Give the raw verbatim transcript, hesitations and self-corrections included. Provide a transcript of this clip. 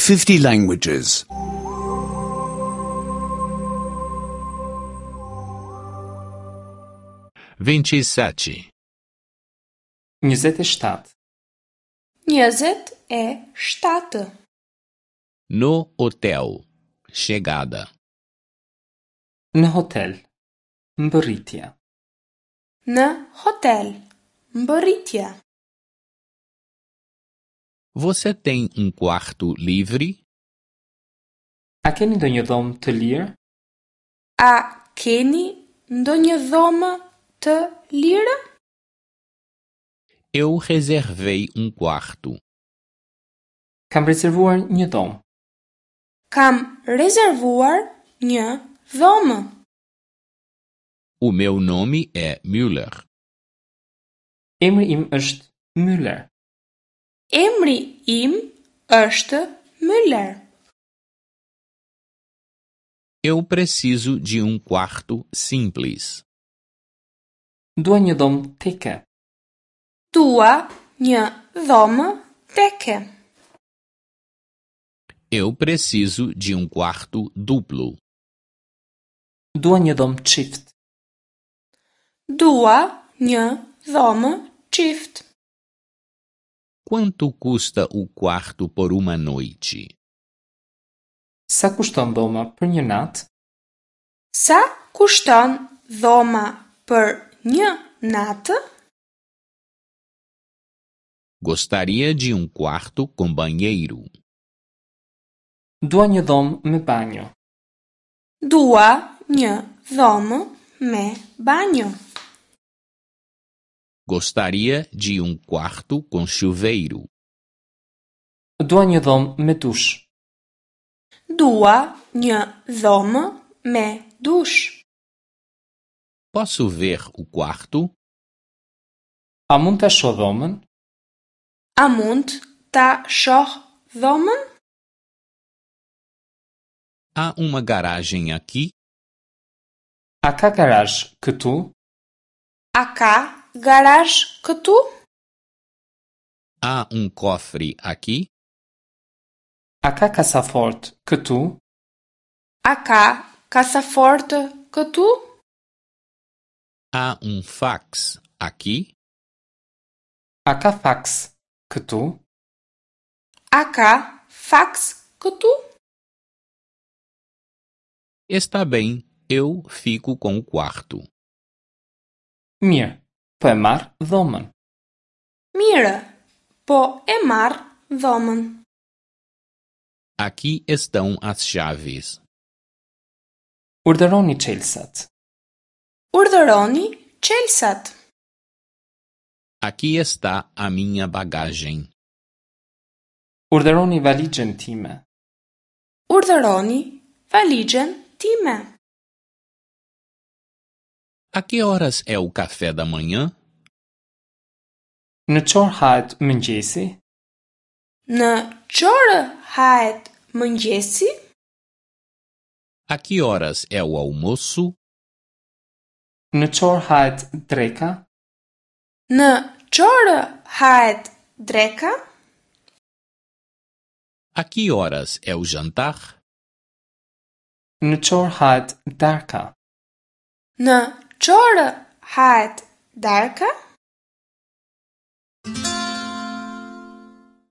fifty languages. vinte e sete, njëzet e shtatë. Njëzet e shtatë. No hotel. Chegada. Në hotel. Mbërritja. Në hotel. Mbërritja. Você tem um quarto livre? A keni ndonjë dhomë të lirë? A keni ndonjë dhomë të lirë? Eu reservei um quarto. Kam rezervuar një dhomë. Kam rezervuar një dhomë. O meu nome é Müller. Emri im është Müller. Emri im është Müller. Eu preciso de um quarto simples. Dua një dhomë teke. Dua një dhomë teke. Eu preciso de um quarto duplo. Dua një dhomë çift. Dua një dhomë çift. Quanto custa o quarto por uma noite? Sa kushton dhoma për një natë? Sa kushton dhoma për një natë? Gostaria de um quarto com banheiro. Dua një dhomë me banjo. Dua një dhomë me banjo. Gostaria de um quarto com chuveiro. Dua një dhomë me dush. Dua një dhomë me dush. Posso ver o quarto? A mund ta shoh dhomën? A mund ta shoh dhomën? Há uma garagem aqui? A ka garazh këtu? A ka garazh këtu? Há um cofre aqui? A ka kasafort këtu? A ka kasafort këtu? Há um fax aqui? A ka faks këtu? A ka faks këtu? Está bem, eu fico com o quarto. Mirë, po e marr dhomën. Mirë, po e marr dhomën. Aqui estão as chaves. Urdhëroni çelësat. Urdhëroni çelësat. Aqui está a minha bagagem. Urdhëroni valixhen time. Urdhëroni valixhen time. A que horas é o café da manhã? Në ç'orë hahet mëngjesi? Në ç'orë hahet mëngjesi? A que horas é o almoço? Në ç'orë hahet dreka? Në ç'orë hahet dreka? A que horas é o jantar? Në ç'orë hahet darka? Në ç'orë hahet darka?